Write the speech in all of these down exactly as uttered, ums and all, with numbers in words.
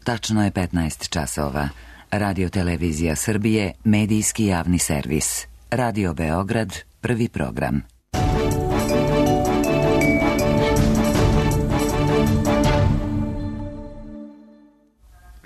Tačno je petnaest časova. Radio Televizija Srbije, medijski javni servis. Radio Beograd, prvi program.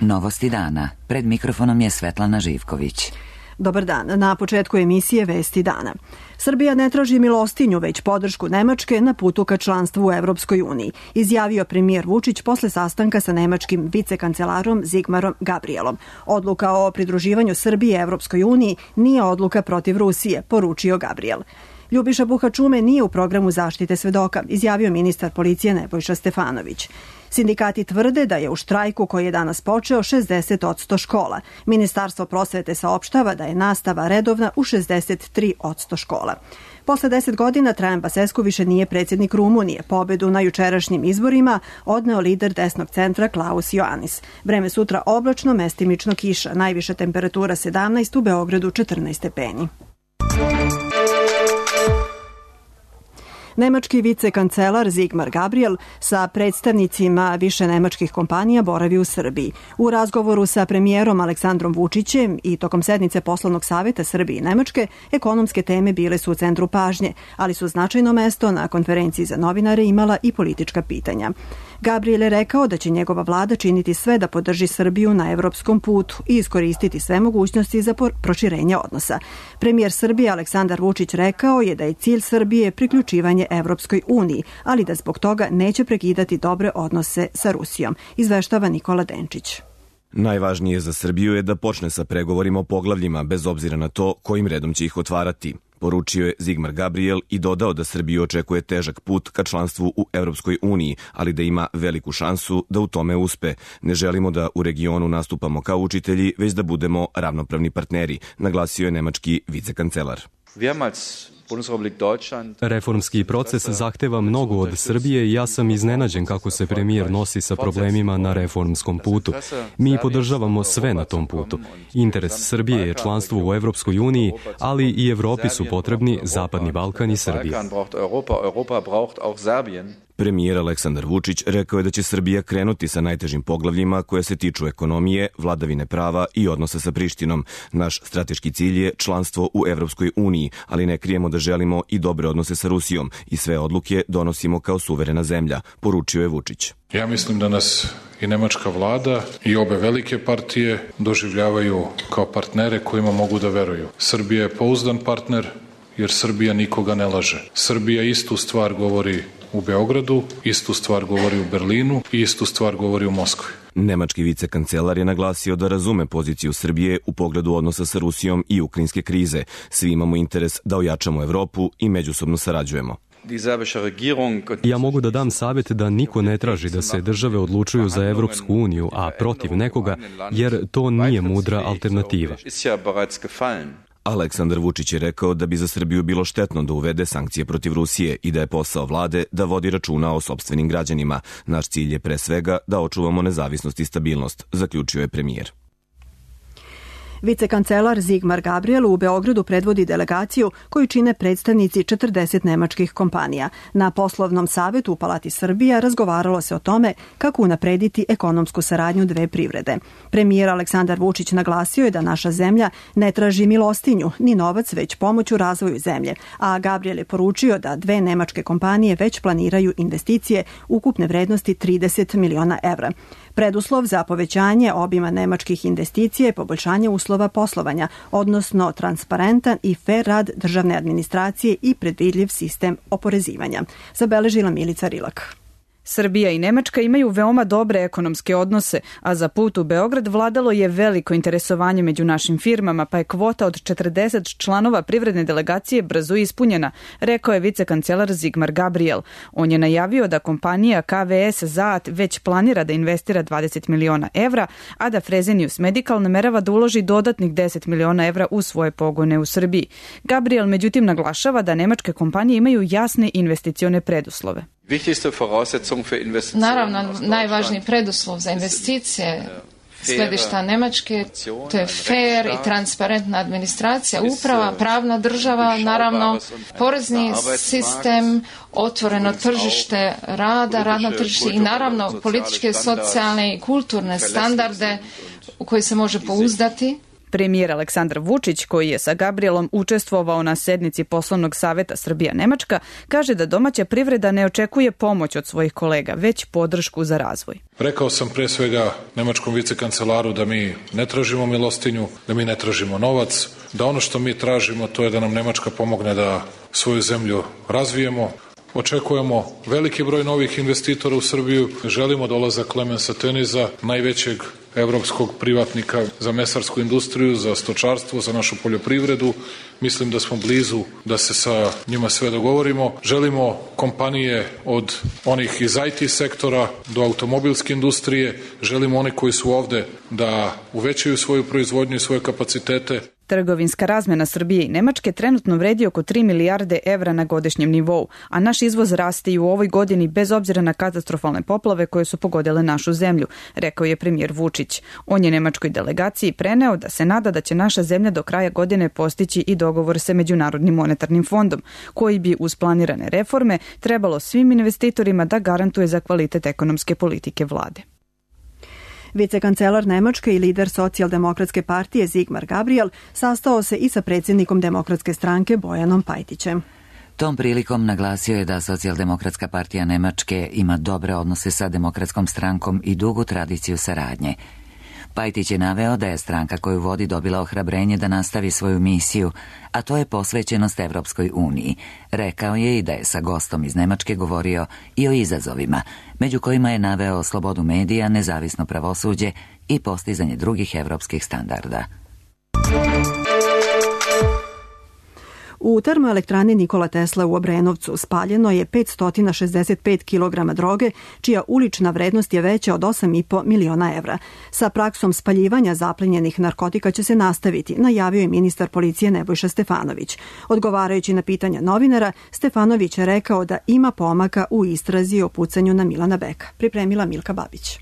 Novosti dana. Pred mikrofonom je Svetlana Živković. Dobar dan. Na početku emisije Vesti dana. Srbija ne traži milostinju, već podršku Nemačke na putu ka članstvu u Evropskoj uniji, izjavio premijer Vučić posle sastanka sa nemačkim vicekancelarom Zigmarom Gabrielom. Odluka o pridruživanju Srbije Evropskoj uniji nije odluka protiv Rusije, poručio Gabriel. Ljubiša Buhačume nije u programu zaštite svedoka, izjavio ministar policije Nebojša Stefanović. Sindikati tvrde da je u štrajku koji je danas počeo šezdeset posto škola. Ministarstvo prosvete saopštava da je nastava redovna u šezdeset tri posto škola. Posle deset godina Trajan Basescu više nije predsjednik Rumunije. Pobedu na jučerašnjim izborima odneo lider desnog centra Klaus Ioannis. Vreme sutra oblačno, mestimično kiša. Najviša temperatura sedamnaest, u Beogradu četrnaest stepeni. Nemački vicekancelar Zigmar Gabriel sa predstavnicima više nemačkih kompanija boravi u Srbiji. U razgovoru sa premijerom Aleksandrom Vučićem i tokom sednice poslovnog saveta Srbije i Nemačke, ekonomske teme bile su u centru pažnje, ali su značajno mesto na konferenciji za novinare imala i politička pitanja. Gabriel je rekao da će njegova vlada činiti sve da podrži Srbiju na evropskom putu i iskoristiti sve mogućnosti za proširenje odnosa. Premijer Srbije Aleksandar Vučić rekao je da je cilj Srbije priključivanje Evropskoj uniji, ali da zbog toga neće prekidati dobre odnose sa Rusijom, izveštava Nikola Denčić. Najvažnije za Srbiju je da počne sa pregovorima o poglavljima, bez obzira na to kojim redom će ih otvarati. Poručio je Zigmar Gabriel i dodao da Srbiju očekuje težak put ka članstvu u Evropskoj uniji, ali da ima veliku šansu da u tome uspe. Ne želimo da u regionu nastupamo kao učitelji, već da budemo ravnopravni partneri, naglasio je nemački vicekancelar. Reformski proces zahteva mnogo od Srbije i ja sam iznenađen kako se premijer nosi sa problemima na reformskom putu. Mi podržavamo sve na tom putu. Interes Srbije je članstvo u Evropskoj uniji, ali i Evropi su potrebni Zapadni Balkan i Srbija. Premijer Aleksandar Vučić rekao je da će Srbija krenuti sa najtežim poglavljima koje se tiču ekonomije, vladavine prava i odnosa sa Prištinom. Naš strateški cilj je članstvo u Evropskoj uniji, ali ne krijemo da želimo i dobre odnose sa Rusijom i sve odluke donosimo kao suverena zemlja, poručio je Vučić. Ja mislim da nas i nemačka vlada i obe velike partije doživljavaju kao partnere kojima mogu da veruju. Srbija je pouzdan partner jer Srbija nikoga ne laže. Srbija istu stvar govori u Beogradu, istu stvar govori u Berlinu i istu stvar govori u Moskvi. Nemački vicekancelar je naglasio da razume poziciju Srbije u pogledu odnosa sa Rusijom i ukrajinske krize. Svi imamo interes da ojačamo Evropu i međusobno sarađujemo. Ja mogu da dam savjet da niko ne traži da se države odlučuju za Evropsku uniju, a protiv nekoga, jer to nije mudra alternativa. Aleksandar Vučić je rekao da bi za Srbiju bilo štetno da uvede sankcije protiv Rusije i da je posao vlade da vodi računa o sopstvenim građanima. Naš cilj je pre svega da očuvamo nezavisnost i stabilnost, zaključio je premijer. Vicekancelar Zigmar Gabriel u Beogradu predvodi delegaciju koju čine predstavnici četrdeset nemačkih kompanija. Na poslovnom savetu u Palati Srbija razgovaralo se o tome kako unaprediti ekonomsku saradnju dve privrede. Premijer Aleksandar Vučić naglasio je da naša zemlja ne traži milostinju ni novac, već pomoć u razvoju zemlje, a Gabriel je poručio da dve nemačke kompanije već planiraju investicije ukupne vrednosti trideset miliona evra. Preduslov za povećanje obima nemačkih investicija je poboljšanje uslova poslovanja, odnosno transparentan i fer rad državne administracije i predvidljiv sistem oporezivanja, zabeležila Milica Rilak. Srbija i Nemačka imaju veoma dobre ekonomske odnose, a za put u Beograd vladalo je veliko interesovanje među našim firmama, pa je kvota od četrdeset članova privredne delegacije brzo ispunjena, rekao je vicekancelar Zigmar Gabriel. On je najavio da kompanija K V S Zaat već planira da investira dvadeset miliona evra, a da Fresenius Medical namerava da uloži dodatnih deset miliona evra u svoje pogone u Srbiji. Gabriel međutim naglašava da nemačke kompanije imaju jasne investicione preduslove. Naravno, najvažniji preduslov za investicije s gledišta Nemačke, to je fair i transparentna administracija, uprava, pravna država, naravno porezni sistem, otvoreno tržište rada, radno tržište i naravno političke, socijalne i kulturne standarde u koje se može pouzdati. Premijer Aleksandar Vučić, koji je sa Gabrielom učestvovao na sednici poslovnog saveta Srbija-Nemačka, kaže da domaća privreda ne očekuje pomoć od svojih kolega, već podršku za razvoj. Rekao sam pre svega nemačkom vicekancelaru da mi ne tražimo milostinju, da mi ne tražimo novac, da ono što mi tražimo to je da nam Nemačka pomogne da svoju zemlju razvijemo. Očekujemo veliki broj novih investitora u Srbiju. Želimo dolazak Klemensa Teniza, najvećeg evropskog privatnika za mesarsku industriju, za stočarstvo, za našu poljoprivredu. Mislim da smo blizu da se sa njima sve dogovorimo. Želimo kompanije od onih iz I T sektora do automobilske industrije. Želimo one koji su ovde da uvećaju svoju proizvodnju i svoje kapacitete. Trgovinska razmena Srbije i Nemačke trenutno vredi oko tri milijarde evra na godišnjem nivou, a naš izvoz raste i u ovoj godini bez obzira na katastrofalne poplave koje su pogodile našu zemlju, rekao je premijer Vučić. On je nemačkoj delegaciji preneo da se nada da će naša zemlja do kraja godine postići i dogovor sa Međunarodnim monetarnim fondom, koji bi uz planirane reforme trebalo svim investitorima da garantuje za kvalitet ekonomske politike vlade. Vicekancelar Nemačke i lider socijaldemokratske partije Sigmar Gabriel sastao se i sa predsjednikom demokratske stranke Bojanom Pajtićem. Tom prilikom naglasio je da socijaldemokratska partija Nemačke ima dobre odnose sa demokratskom strankom i dugu tradiciju saradnje. Pajtić je naveo da je stranka koju vodi dobila ohrabrenje da nastavi svoju misiju, a to je posvećenost Evropskoj uniji. Rekao je i da je sa gostom iz Nemačke govorio i o izazovima, među kojima je naveo slobodu medija, nezavisno pravosuđe i postizanje drugih evropskih standarda. U termoelektrani Nikola Tesla u Obrenovcu spaljeno je petsto šezdeset pet kilograma droge, čija ulična vrednost je veća od osam i po miliona evra. Sa praksom spaljivanja zaplenjenih narkotika će se nastaviti, najavio je ministar policije Nebojša Stefanović. Odgovarajući na pitanja novinara, Stefanović je rekao da ima pomaka u istrazi o pucanju na Milana Beka. Pripremila Milka Babić.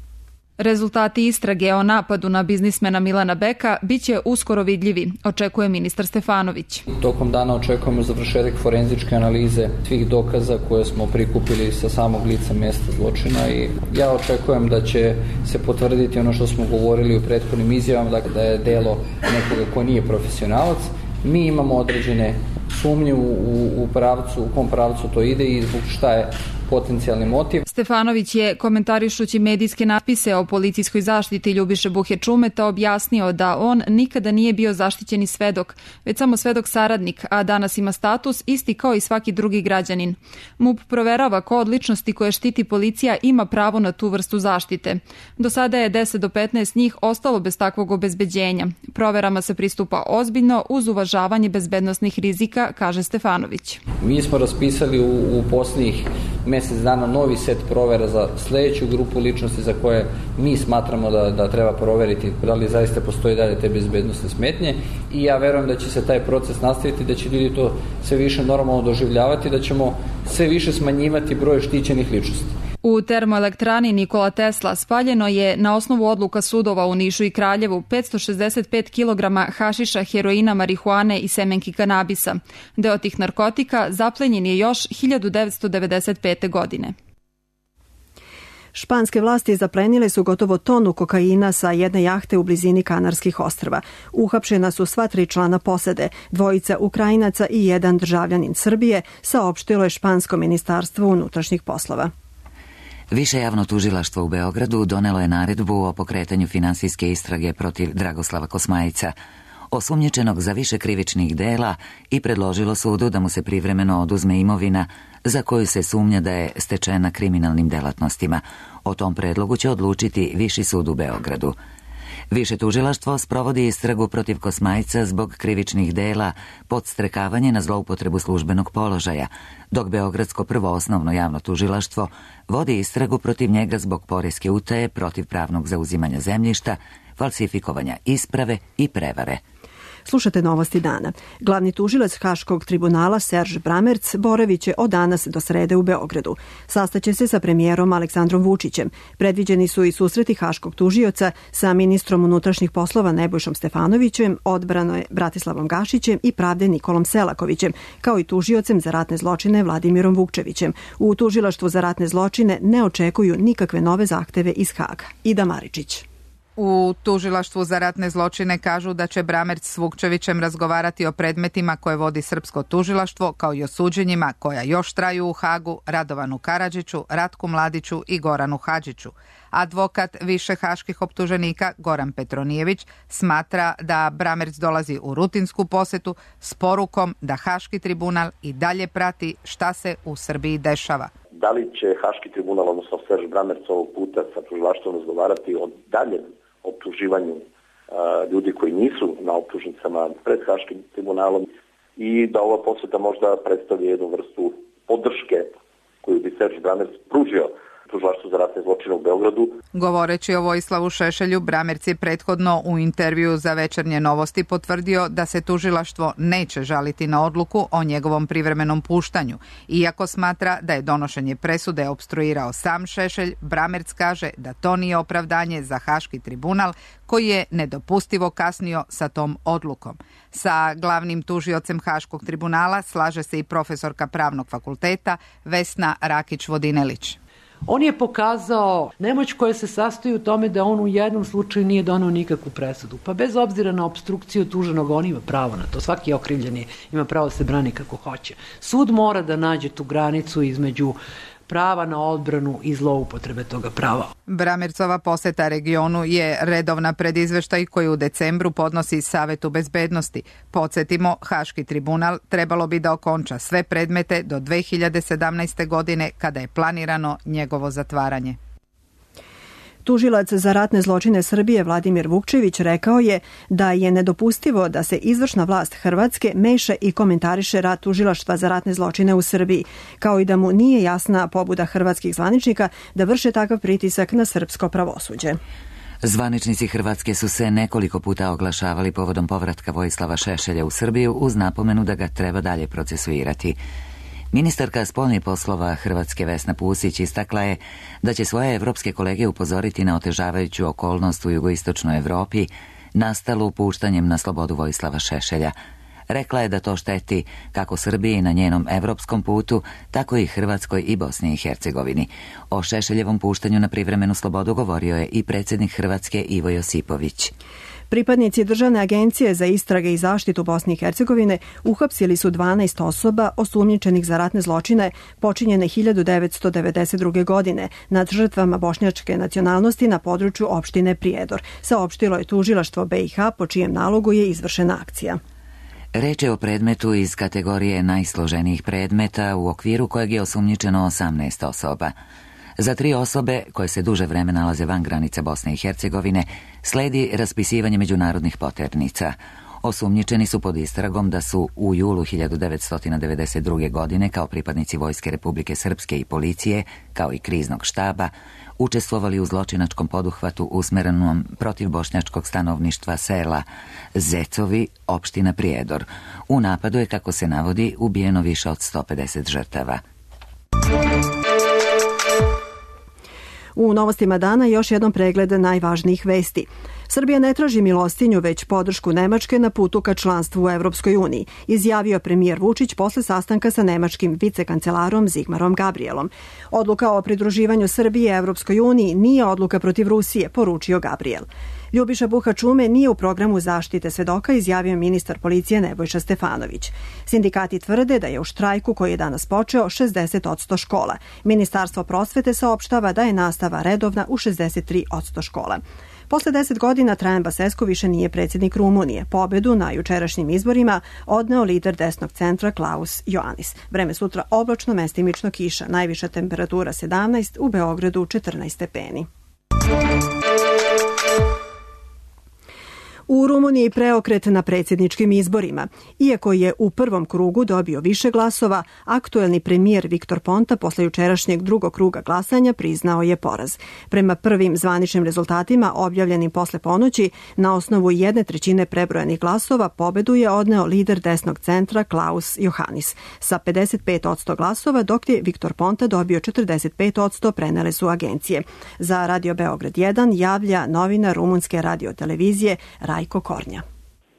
Rezultati istrage o napadu na biznismena Milana Beka biće uskoro vidljivi, očekuje ministar Stefanović. Tokom dana očekujemo završetak forenzičke analize svih dokaza koje smo prikupili sa samog lica mjesta zločina i ja očekujem da će se potvrditi ono što smo govorili u prethodnim izjavama, dakle da je delo nekoga ko nije profesionalac. Mi imamo određene sumnje u, u pravcu, u kom pravcu to ide i zbog šta je potencijalni motiv. Stefanović je, komentarišući medijske napise o policijskoj zaštiti Ljubiše Buhe Čumeta, objasnio da on nikada nije bio zaštićeni svedok, već samo svedok saradnik, a danas ima status isti kao i svaki drugi građanin. MUP proverava ko od ličnosti koje štiti policija ima pravo na tu vrstu zaštite. Do sada je deset do petnaest njih ostalo bez takvog obezbeđenja. Proverama se pristupa ozbiljno uz uvažavanje bezbednosnih rizika, kaže Stefanović. Mi smo raspisali u, u posljednjih mjesec dana novi set provera za sljedeću grupu ličnosti za koje mi smatramo da, da treba proveriti da li zaista postoji dalje te bezbednosne smetnje i ja verujem da će se taj proces nastaviti, da će ljudi to sve više normalno doživljavati, da ćemo sve više smanjivati broj štićenih ličnosti. U termoelektrani Nikola Tesla spaljeno je na osnovu odluka sudova u Nišu i Kraljevu petsto šezdeset pet kilograma hašiša, heroina, marihuane i semenki kanabisa. Deo tih narkotika zaplenjen je još hiljadu devetsto devedeset pete. godine. Španske vlasti zaplenile su gotovo tonu kokaina sa jedne jahte u blizini Kanarskih ostrva. Uhapšena su sva tri člana posade, dvojica Ukrajinaca i jedan državljanin Srbije, saopštilo je špansko ministarstvo unutrašnjih poslova. Više javno tužilaštvo u Beogradu donelo je naredbu o pokretanju finansijske istrage protiv Dragoslava Kosmajca, osumnjičenog za više krivičnih dela, i predložilo sudu da mu se privremeno oduzme imovina za koju se sumnja da je stečena kriminalnim delatnostima. O tom predlogu će odlučiti Viši sud u Beogradu. Više tužilaštvo sprovodi istragu protiv Kosmajca zbog krivičnih dela podstrekavanje na zloupotrebu službenog položaja, dok Beogradsko prvo osnovno javno tužilaštvo vodi istragu protiv njega zbog poreske utaje, protivpravnog zauzimanja zemljišta, falsifikovanja isprave i prevare. Slušate novosti dana. Glavni tužilac Haškog tribunala Serž Bramerc boraviće od danas do srede u Beogradu. Sastaće se sa premijerom Aleksandrom Vučićem. Predviđeni su i susreti Haškog tužioca sa ministrom unutrašnjih poslova Nebojšom Stefanovićem, odbrane Bratislavom Gašićem i pravde Nikolom Selakovićem, kao i tužiocem za ratne zločine Vladimirom Vukčevićem. U tužilaštvu za ratne zločine ne očekuju nikakve nove zahteve iz Haga. Ida Maričić. U tužilaštvu za ratne zločine kažu da će Bramerc s Vukčevićem razgovarati o predmetima koje vodi srpsko tužilaštvo, kao i o suđenjima koja još traju u Hagu, Radovanu Karadžiću, Ratku Mladiću i Goranu Hadžiću. Advokat više haških optuženika Goran Petronijević smatra da Bramerc dolazi u rutinsku posetu s porukom da Haški tribunal i dalje prati šta se u Srbiji dešava. Da li će Haški tribunal, odnosno Serž Bramerc ovog puta sa tužilaštvom razgovarati o daljem optuživanju uh, ljudi koji nisu na optužnicama pred Haškim tribunalom i da ova poseta možda predstavlja jednu vrstu podrške koju bi Serž Bramerc pružio tužilaštvu za ratne zločine u Beogradu. Govoreći o Vojislavu Šešelju, Bramerc je prethodno u intervju za Večernje novosti potvrdio da se tužilaštvo neće žaliti na odluku o njegovom privremenom puštanju. Iako smatra da je donošenje presude opstruirao sam Šešelj, Bramerc kaže da to nije opravdanje za Haški tribunal koji je nedopustivo kasnio sa tom odlukom. Sa glavnim tužiocem Haškog tribunala slaže se i profesorka Pravnog fakulteta Vesna Rakić-Vodinelić. On je pokazao nemoć koja se sastoji u tome da on u jednom slučaju nije donao nikakvu presudu. Pa bez obzira na opstrukciju tuženog, on ima pravo na to. Svaki okrivljeni ima pravo da se brani kako hoće. Sud mora da nađe tu granicu između prava na odbranu i zloupotrebe toga prava. Bramercova poseta regionu je redovna predizveštaj koji u decembru podnosi Savetu bezbednosti. Podsjetimo, Haški tribunal trebalo bi da okonča sve predmete do dve hiljade sedamnaeste. godine kada je planirano njegovo zatvaranje. Tužilac za ratne zločine Srbije Vladimir Vukčević rekao je da je nedopustivo da se izvršna vlast Hrvatske meša i komentariše rad tužilaštva za ratne zločine u Srbiji, kao i da mu nije jasna pobuda hrvatskih zvaničnika da vrše takav pritisak na srpsko pravosuđe. Zvaničnici Hrvatske su se nekoliko puta oglašavali povodom povratka Vojislava Šešelja u Srbiju uz napomenu da ga treba dalje procesuirati. Ministarka spoljnih poslova Hrvatske Vesna Pusić istakla je da će svoje evropske kolege upozoriti na otežavajuću okolnost u jugoistočnoj Evropi nastalu puštanjem na slobodu Vojislava Šešelja. Rekla je da to šteti kako Srbiji na njenom evropskom putu, tako i Hrvatskoj i Bosni i Hercegovini. O Šešeljevom puštanju na privremenu slobodu govorio je i predsjednik Hrvatske Ivo Josipović. Pripadnici Državne agencije za istrage i zaštitu Bosne i Hercegovine uhapsili su dvanaest osoba osumnjičenih za ratne zločine počinjene hiljadu devetsto devedeset druge. godine nad žrtvama bošnjačke nacionalnosti na području opštine Prijedor. Saopštilo je tužilaštvo B i H po čijem nalogu je izvršena akcija. Reč je o predmetu iz kategorije najsloženijih predmeta u okviru kojeg je osumnjičeno osamnaest osoba. Za tri osobe, koje se duže vreme nalaze van granica Bosne i Hercegovine, sledi raspisivanje međunarodnih poternica. Osumnjičeni su pod istragom da su u julu hiljadu devetsto devedeset druge. godine kao pripadnici Vojske Republike Srpske i policije, kao i kriznog štaba, učestvovali u zločinačkom poduhvatu usmerenom protiv bošnjačkog stanovništva sela Zecovi, opština Prijedor. U napadu je, kako se navodi, ubijeno više od sto pedeset žrtava. U novostima dana još jednom pregled najvažnijih vesti. Srbija ne traži milostinju, već podršku Nemačke na putu ka članstvu u Evropskoj uniji, izjavio premijer Vučić posle sastanka sa nemačkim vicekancelarom Zigmarom Gabrielom. Odluka o pridruživanju Srbije Evropskoj uniji nije odluka protiv Rusije, poručio Gabriel. Ljubiša Buha-Čume nije u programu zaštite svedoka, izjavio ministar policije Nebojša Stefanović. Sindikati tvrde da je u štrajku koji je danas počeo šezdeset posto škola. Ministarstvo prosvete saopštava da je nastava redovna u šezdeset tri posto škola. Posle deset godina Trajan Basescu više nije predsjednik Rumunije. Pobedu na jučerašnjim izborima odneo lider desnog centra Klaus Iohannis. Vreme sutra oblačno, mestimično kiša. Najviša temperatura sedamnaest, u Beogradu četrnaest stepeni. U Rumuniji preokret na predsjedničkim izborima. Iako je u prvom krugu dobio više glasova, aktuelni premijer Viktor Ponta posle jučerašnjeg drugog kruga glasanja priznao je poraz. Prema prvim zvaničnim rezultatima objavljenim posle ponoći, na osnovu jedne trećine prebrojanih glasova pobedu je odneo lider desnog centra Klaus Johannis sa pedeset pet posto glasova, dok je Viktor Ponta dobio četrdeset pet posto, prenele su agencije. Za Radio Beograd jedan javlja novinar rumunske radiotelevizije Rajko Kornja.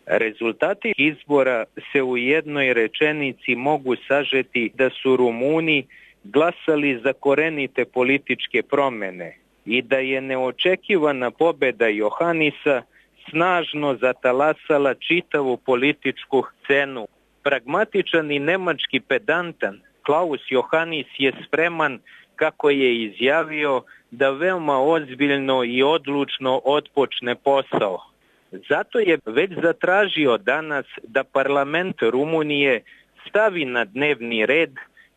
Rezultati izbora se u jednoj rečenici mogu sažeti da su Rumuni glasali za korenite političke promene i da je neočekivana pobeda Johannisa snažno zatalasala čitavu političku scenu. Pragmatičan i nemački pedantan Klaus Johannis je spreman, kako je izjavio, da veoma ozbiljno i odlučno otpočne posao. Zato je već zatražio danas da parlament Rumunije stavi na dnevni red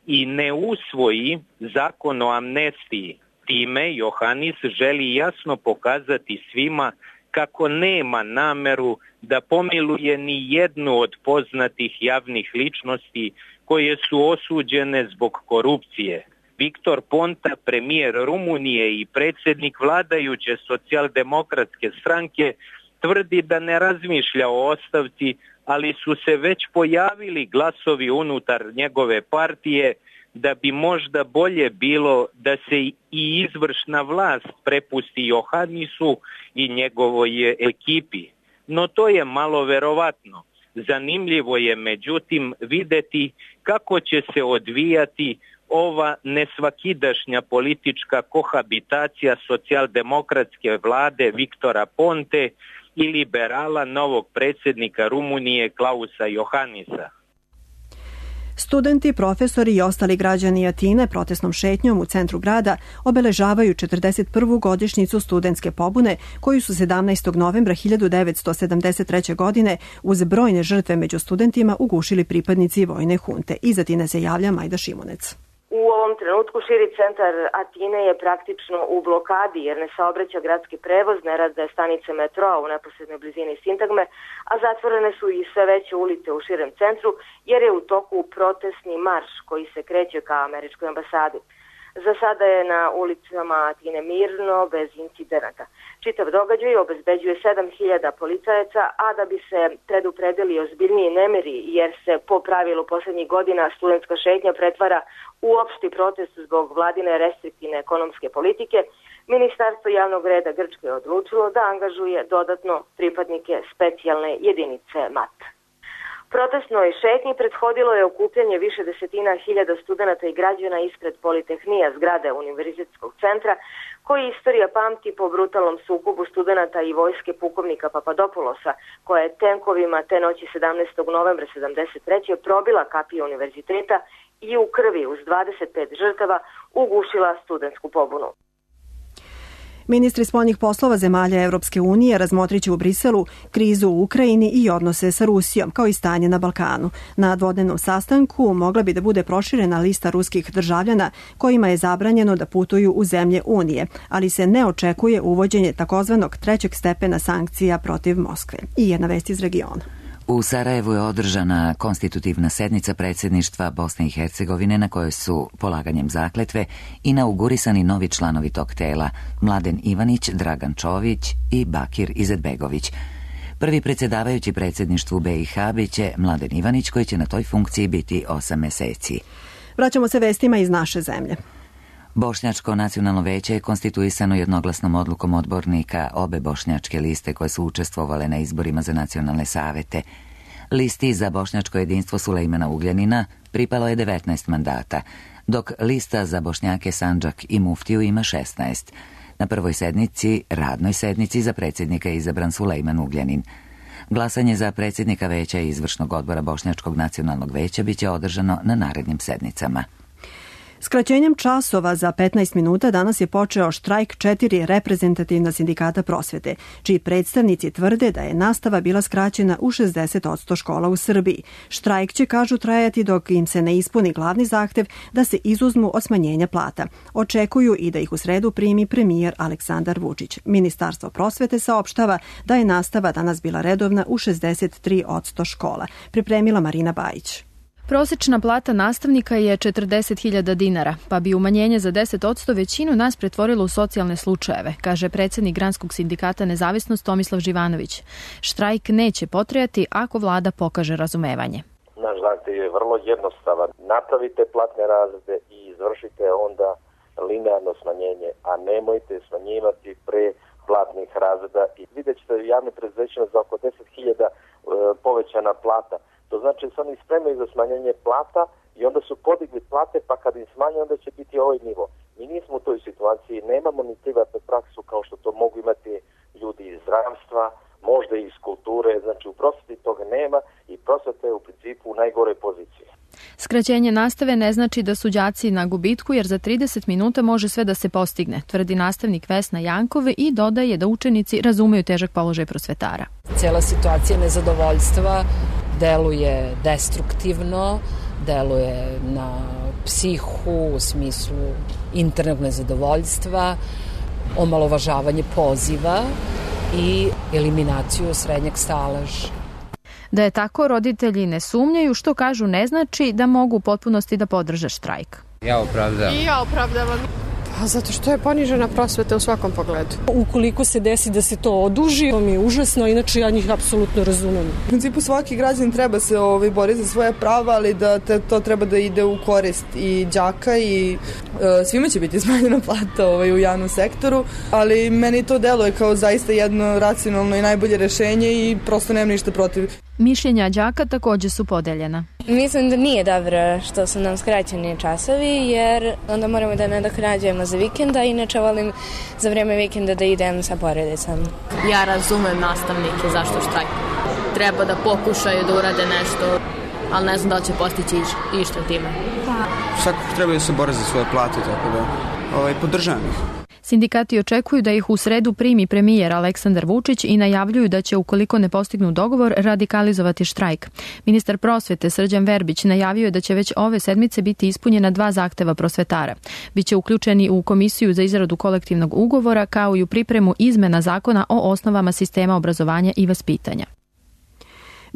i ne usvoji zakon o amnestiji. Time Johannis želi jasno pokazati svima kako nema nameru da pomiluje ni jednu od poznatih javnih ličnosti koje su osuđene zbog korupcije. Viktor Ponta, premijer Rumunije i predsjednik vladajuće socijaldemokratske stranke, tvrdi da ne razmišlja o ostavci, ali su se već pojavili glasovi unutar njegove partije da bi možda bolje bilo da se i izvršna vlast prepusti Johannisu i njegovoj ekipi. No to je malo verovatno. Zanimljivo je međutim videti kako će se odvijati ova nesvakidašnja politička kohabitacija socijaldemokratske vlade Viktora Ponte i liberala novog predsjednika Rumunije Klausa Johannisa. Studenti, profesori i ostali građani Atine protestnom šetnjom u centru grada obeležavaju četrdeset prvu godišnjicu studentske pobune koju su sedamnaestog novembra hiljadu devetsto sedamdeset treće. godine uz brojne žrtve među studentima ugušili pripadnici vojne hunte. Iz Atine se javlja Majda Šimunec. U ovom trenutku širi centar Atine je praktično u blokadi jer ne saobraća gradski prevoz, ne rade stanice metroa u neposrednoj blizini sintagme, a zatvorene su i sve veće ulice u širem centru jer je u toku protestni marš koji se kreće ka američkoj ambasadi. Za sada je na ulicama Atine mirno, bez incidenata. Čitav događaj obezbeđuje sedam hiljada policajaca, a da bi se predupredili ozbiljniji nemiri, jer se po pravilu posljednjih godina studentska šetnja pretvara u opšti protest zbog vladine restriktivne ekonomske politike, Ministarstvo javnog reda Grčke je odlučilo da angažuje dodatno pripadnike specijalne jedinice M A T. Protestnoj šetnji prethodilo je okupljanje više desetina hiljada studenata i građana ispred Politehnija, zgrade Univerzitetskog centra, koji istorija pamti po brutalnom sukobu studenata i vojske pukovnika Papadopoulosa, koja je tenkovima te noći sedamnaestog novembra sedamdeset treće. probila kapiju univerziteta i u krvi uz dvadeset pet žrtava ugušila studentsku pobunu. Ministri spoljnih poslova zemalja Evropske unije razmotriće u Briselu krizu u Ukrajini i odnose sa Rusijom, kao i stanje na Balkanu. Na dvodnevnom sastanku mogla bi da bude proširena lista ruskih državljana kojima je zabranjeno da putuju u zemlje Unije, ali se ne očekuje uvođenje takozvanog trećeg stepena sankcija protiv Moskve. I jedna vest iz regiona. U Sarajevu je održana konstitutivna sednica predsjedništva Bosne i Hercegovine na kojoj su polaganjem zakletve inaugurisani novi članovi tog tela Mladen Ivanić, Dragan Čović i Bakir Izetbegović. Prvi predsjedavajući predsjedništvu B i H biće Mladen Ivanić koji će na toj funkciji biti osam mjeseci. Vraćamo se vestima iz naše zemlje. Bošnjačko nacionalno veće je konstituisano jednoglasnom odlukom odbornika obe bošnjačke liste koje su učestvovale na izborima za nacionalne savete. Listi za bošnjačko jedinstvo Sulejmana Ugljanina pripalo je devetnaest mandata, dok lista za Bošnjake Sandžak i Muftiju ima šesnaest. Na prvoj sednici, radnoj sednici, za predsjednika je izabran Sulejman Ugljanin. Glasanje za predsjednika veća i izvršnog odbora Bošnjačkog nacionalnog veća biće održano na narednim sednicama. Skraćenjem časova za petnaest minuta danas je počeo štrajk četiri reprezentativna sindikata prosvete, čiji predstavnici tvrde da je nastava bila skraćena u šezdeset posto škola u Srbiji. Štrajk će, kažu, trajati dok im se ne ispuni glavni zahtev da se izuzmu od smanjenja plata. Očekuju i da ih u sredu primi premijer Aleksandar Vučić. Ministarstvo prosvete saopštava da je nastava danas bila redovna u šezdeset tri posto škola. Pripremila Marina Bajić. Prosečna plata nastavnika je četrdeset hiljada dinara, pa bi umanjenje za deset posto većinu nas pretvorilo u socijalne slučajeve, kaže predsjednik Granskog sindikata Nezavisnost Tomislav Živanović. Štrajk neće potrajati ako vlada pokaže razumevanje. Naš zahtev je vrlo jednostavan. Napravite platne razrede i izvršite onda linearno smanjenje, a nemojte smanjivati pre platnih razreda. I vidjet ćete javne preduzećima za oko deset hiljada e, povećana plata. To znači da se oni spremaju za smanjenje plata i onda su podigli plate, pa kad im smanje, onda će biti ovaj nivo. Mi nismo u toj situaciji, nemamo ni privatnu praksu kao što to mogu imati ljudi iz zdravstva, možda i iz kulture, znači u prosveti toga nema i prosveta je u principu u najgoroj poziciji. Skraćenje nastave ne znači da su đaci na gubitku, jer za trideset minuta može sve da se postigne, tvrdi nastavnik Vesna Jankove i dodaje da učenici razumeju težak položaj prosvetara. Cijela situacija nezadovoljstva deluje destruktivno, deluje na psihu u smislu internog nezadovoljstva, omalovažavanje poziva i eliminaciju srednjeg staleža. Da je tako, roditelji ne sumnjaju, što kažu ne znači da mogu u potpunosti da podrže štrajk. Ja opravdavam. I ja opravdavam. Pa zato što je ponižena prosveta u svakom pogledu. Ukoliko se desi da se to oduži, to mi je užasno, inače ja njih apsolutno razumem. U principu svaki građan treba se ovaj, boriti za svoje prava, ali da te, to treba da ide u korist i đaka i e, svima će biti smanjena plata ovaj, u javnom sektoru, ali meni to deluje kao zaista jedno racionalno i najbolje rešenje i prosto nemam ništa protiv. Mišljenja đaka također su podeljena. Mislim da nije dobro što su nam skraćeni časovi, jer onda moramo da nadoknađujemo za vikenda, inače volim za vrijeme vikenda da idem sa porodicom. Ja razumem nastavnike zašto štrajk. Treba da pokušaju da urade nešto, ali ne znam da li će postići išta time. Svakako treba da se bore za svoje plate, tako da ovaj, podržavam ih. Sindikati očekuju da ih u sredu primi premijer Aleksandar Vučić i najavljuju da će, ukoliko ne postignu dogovor, radikalizovati štrajk. Ministar prosvete Srđan Verbić najavio je da će već ove sedmice biti ispunjena dva zahteva prosvetara. Biće uključeni u komisiju za izradu kolektivnog ugovora, kao i u pripremu izmena zakona o osnovama sistema obrazovanja i vaspitanja.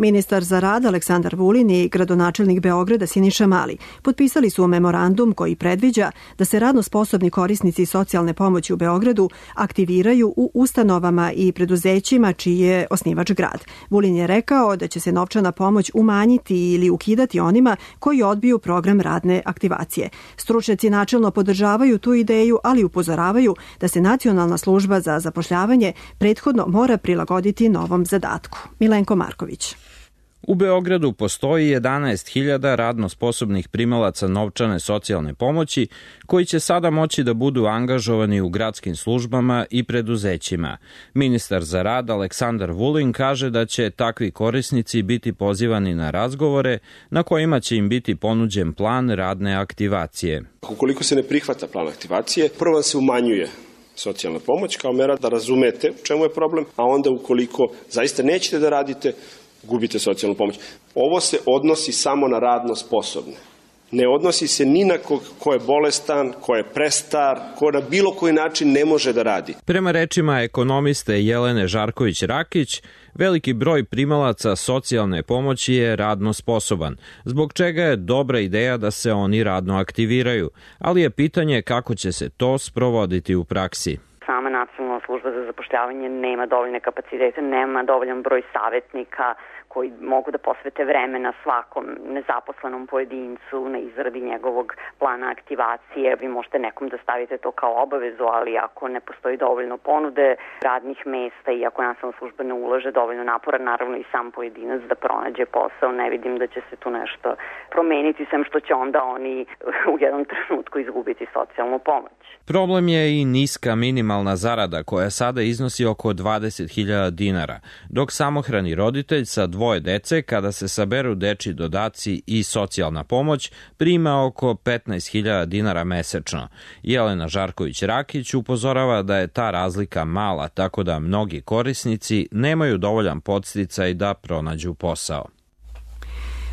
Ministar za rad Aleksandar Vulin i gradonačelnik Beograda Siniša Mali potpisali su memorandum koji predviđa da se radno sposobni korisnici socijalne pomoći u Beogradu aktiviraju u ustanovama i preduzećima čiji je osnivač grad. Vulin je rekao da će se novčana pomoć umanjiti ili ukidati onima koji odbiju program radne aktivacije. Stručnjaci načelno podržavaju tu ideju, ali upozoravaju da se Nacionalna služba za zapošljavanje prethodno mora prilagoditi novom zadatku. Milenko Marković. U Beogradu postoji jedanaest hiljada radno sposobnih primalaca novčane socijalne pomoći koji će sada moći da budu angažovani u gradskim službama i preduzećima. Ministar za rad Aleksandar Vulin kaže da će takvi korisnici biti pozivani na razgovore na kojima će im biti ponuđen plan radne aktivacije. Ukoliko se ne prihvata plan aktivacije, prvo se umanjuje socijalna pomoć kao mera da razumete u čemu je problem, a onda ukoliko zaista nećete da radite, gubite socijalnu pomoć. Ovo se odnosi samo na radno sposobne. Ne odnosi se ni na ko, ko je bolestan, ko je prestar, ko na bilo koji način ne može da radi. Prema rečima ekonomiste Jelene Žarković-Rakić, veliki broj primalaca socijalne pomoći je radno sposoban, zbog čega je dobra ideja da se oni radno aktiviraju, ali je pitanje kako će se to sprovoditi u praksi. Sama Nacionalna služba za zapošljavanje nema dovoljne kapacitete, nema dovoljan broj savjetnika koji mogu da posvete vremena svakom nezaposlenom pojedincu na izradi njegovog plana aktivacije. Vi možete nekom da stavite to kao obavezu, ali ako ne postoji dovoljno ponude radnih mesta i ako Nacionalna služba ne ulaže dovoljno napora, naravno i sam pojedinac da pronađe posao, ne vidim da će se tu nešto promeniti, sem što će onda oni u jednom trenutku izgubiti socijalnu pomoć. Problem je i niska minimalna zarada koja sada iznosi oko dvadeset hiljada dinara, dok samohrani roditelj sa dvoje dece, kada se saberu dečji dodaci i socijalna pomoć, prima oko petnaest hiljada dinara mesečno. Jelena Žarković-Rakić upozorava da je ta razlika mala, tako da mnogi korisnici nemaju dovoljan podsticaj da pronađu posao.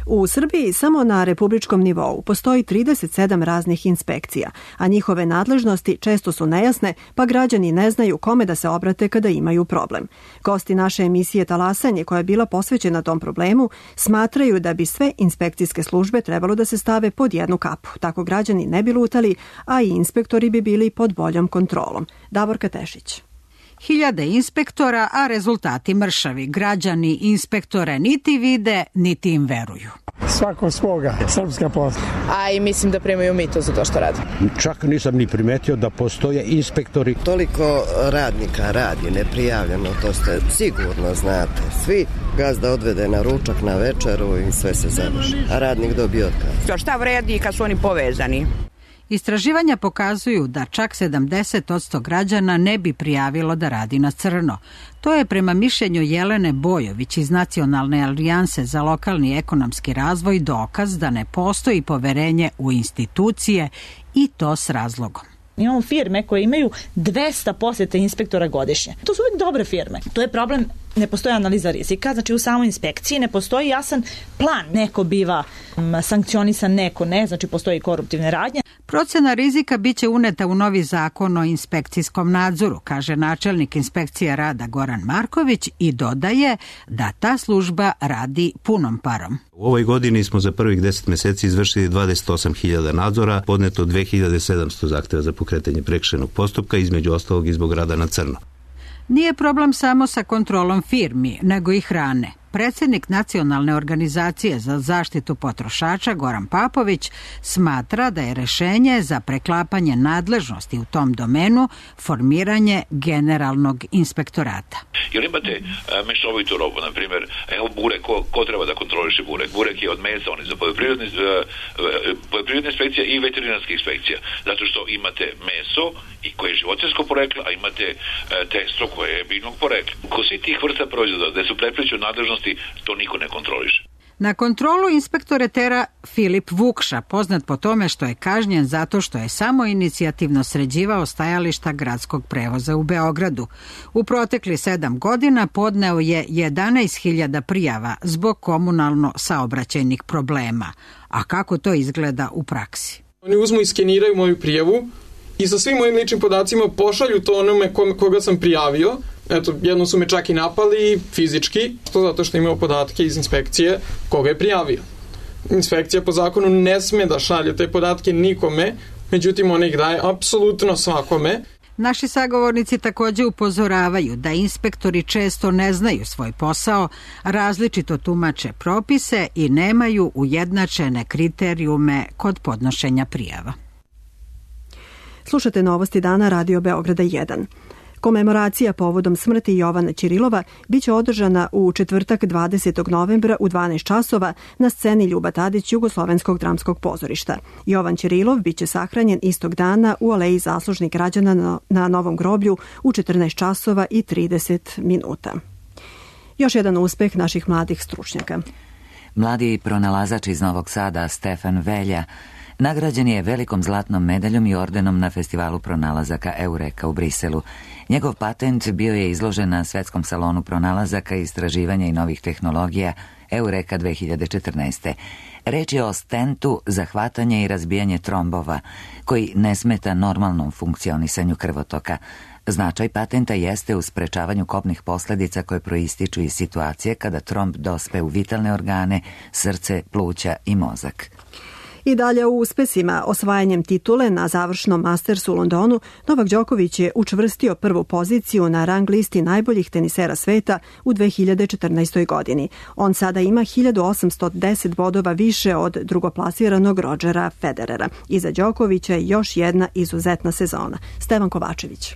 U Srbiji samo na republičkom nivou postoji trideset sedam raznih inspekcija, a njihove nadležnosti često su nejasne, pa građani ne znaju kome da se obrate kada imaju problem. Gosti naše emisije Talasanje, koja je bila posvećena tom problemu, smatraju da bi sve inspekcijske službe trebalo da se stave pod jednu kapu. Tako građani ne bi lutali, a i inspektori bi bili pod boljom kontrolom. Davorka Tešić. Hiljade inspektora, a rezultati mršavi. Građani inspektore niti vide, niti im veruju. Svako svoga, srpska posla. A i mislim da primaju mito za to što rade. Čak nisam ni primetio da postoje inspektori. Toliko radnika radi neprijavljeno, to ste sigurno znate. Svi gazda odvede na ručak, na večeru i sve se završi. A radnik dobije otkaz. Šta vredi kad su oni povezani? Istraživanja pokazuju da čak sedamdeset posto građana ne bi prijavilo da radi na crno. To je prema mišljenju Jelene Bojović iz Nacionalne alijanse za lokalni ekonomski razvoj dokaz da ne postoji poverenje u institucije i to s razlogom. Imamo firme koje imaju dvesta posete inspektora godišnje. To su uvijek dobre firme. To je problem, ne postoji analiza rizika, znači u samoj inspekciji ne postoji jasan plan. Neko biva sankcionisan, neko ne, znači postoji koruptivne radnje. Procena rizika biće uneta u novi zakon o inspekcijskom nadzoru, kaže načelnik inspekcije rada Goran Marković i dodaje da ta služba radi punom parom. U ovoj godini smo za prvih deset meseci izvršili dvadeset osam hiljada nadzora, podneto dve hiljade sedamsto zahteva za pokretanje prekršajnog postupka, između ostalog i zbog rada na crno. Nije problem samo sa kontrolom firmi, nego i hrane. Predsjednik Nacionalne organizacije za zaštitu potrošača Goran Papović smatra da je rešenje za preklapanje nadležnosti u tom domenu formiranje generalnog inspektorata. Jer imate e, mešovitu robu, na primjer, evo burek, ko, ko treba da kontroliše burek? Burek je od mesa, on je za poljoprivredne, e, poljoprivredne inspekcija i veterinarske inspekcija. Zato što imate meso i koje je životinjsko poreklo, a imate e, testo koje je biljnog porekla. Ko svi tih vrsta proizvoda, da su prepliču nadležnosti, to niko ne kontroliše. Na kontrolu inspektore tera Filip Vukša, poznat po tome što je kažnjen zato što je samo inicijativno sređivao stajališta gradskog prevoza u Beogradu. U protekli sedam godina podneo je jedanaest hiljada prijava zbog komunalno saobraćajnih problema. A kako to izgleda u praksi? Oni uzmu i skeniraju moju prijavu i sa svim mojim ličnim podacima pošalju to onome koga sam prijavio. Eto, jedno su me čak i napali fizički, to zato što imao podatke iz inspekcije koga je prijavio. Inspekcija po zakonu ne sme da šalje te podatke nikome, međutim ona ih daje apsolutno svakome. Naši sagovornici također upozoravaju da inspektori često ne znaju svoj posao, različito tumače propise i nemaju ujednačene kriterijume kod podnošenja prijava. Slušate Novosti dana Radio Beograda jedan. Komemoracija povodom smrti Jovana Ćirilova biće održana u četvrtak dvadesetog novembra u dvanaest časova na sceni Ljuba Tadić Jugoslovenskog dramskog pozorišta. Jovan Ćirilov biće sahranjen istog dana u aleji zaslužnih građana na Novom groblju u četrnaest časova i trideset minuta. Još jedan uspeh naših mladih stručnjaka. Mladi pronalazač iz Novog Sada Stefan Velja nagrađen je velikom zlatnom medaljom i ordenom na festivalu pronalazaka Eureka u Briselu. Njegov patent bio je izložen na svetskom salonu pronalazaka, istraživanja i novih tehnologija Eureka dve hiljade četrnaeste. Reč je o stentu za hvatanje i razbijanje trombova, koji ne smeta normalnom funkcionisanju krvotoka. Značaj patenta jeste u sprečavanju kobnih posljedica koje proističu iz situacije kada tromb dospe u vitalne organe, srce, pluća i mozak. I dalje u uspesima, osvajanjem titule na završnom Mastersu u Londonu, Novak Đoković je učvrstio prvu poziciju na rang listi najboljih tenisera sveta u dve hiljade četrnaestoj. godini. On sada ima hiljadu osamsto deset bodova više od drugoplasiranog Rodgera Federera. Iza Đokovića je još jedna izuzetna sezona. Stevan Kovačević.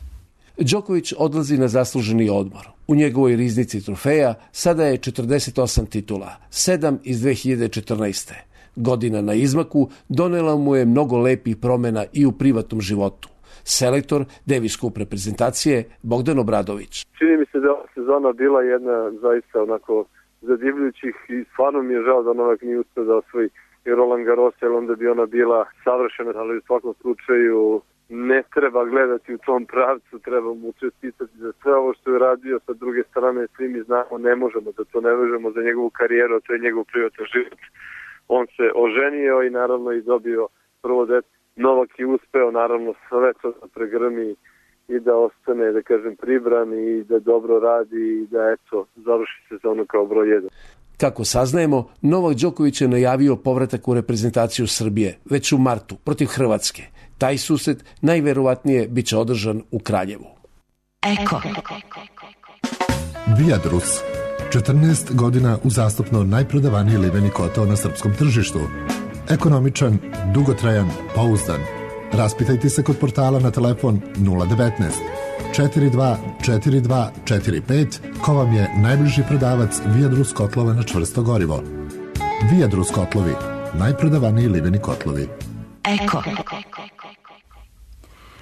Đoković odlazi na zasluženi odmor. U njegovoj riznici trofeja sada je četrdeset osam titula, sedam iz dve hiljade četrnaeste. Godina na izmaku donela mu je mnogo lepih promjena i u privatnom životu. Selektor Davis Cup reprezentacije Bogdan Obradović. Čini mi se da je ova sezona bila jedna zaista onako zadivljujućih i stvarno mi je žao da Novak nije uspio da osvoji i Roland Garros, jer onda bi ona bila savršena, ali u svakom slučaju ne treba gledati u tom pravcu, treba mu čestitati za sve ovo što je radio. Sa druge strane, svi mi znamo, ne možemo da to ne vežemo za njegovu karijeru, to je njegov privatan život. On se oženio i naravno i dobio prvo dete. Novak je uspeo naravno sve to da pregrmi i da ostane, da kažem, pribran i da dobro radi i da, eto, završi sezonu kao broj jedan. Kako saznajemo, Novak Đoković je najavio povratak u reprezentaciju Srbije već u martu protiv Hrvatske. Taj susret najverovatnije bit će održan u Kraljevu. Eko. Viadrus. četrnaest godina uzastopno najprodavaniji liveni kotao na srpskom tržištu. Ekonomičan, dugotrajan, pouzdan. Raspitajte se kod portala na telefon nula devetnaest četrdeset dva četrdeset dva četrdeset pet ko vam je najbliži prodavac Viadrus kotlova na čvrsto gorivo. Viadrus kotlovi, najprodavaniji liveni kotlovi. Eko.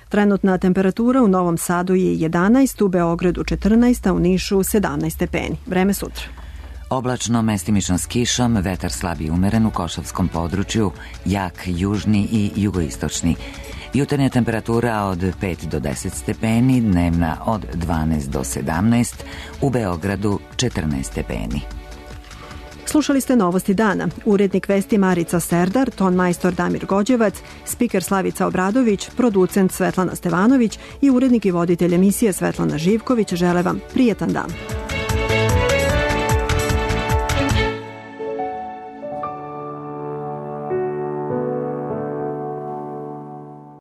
Trenutna temperatura u Novom Sadu je jedanaest, u Beogradu četrnaest, a u Nišu sedamnaest stepeni. Vreme sutra. Oblačno, mestimično s kišom, vetar slab i umeren u Košavskom području, jak južni i jugoistočni. Jutarnja temperatura od pet do deset stepeni, dnevna od dvanaest do sedamnaest, u Beogradu četrnaest stepeni. Slušali ste Novosti dana. Urednik vesti Marica Serdar, ton majstor Damir Gođevac, spiker Slavica Obradović, producent Svetlana Stevanović i urednik i voditelj emisije Svetlana Živković žele vam prijetan dan.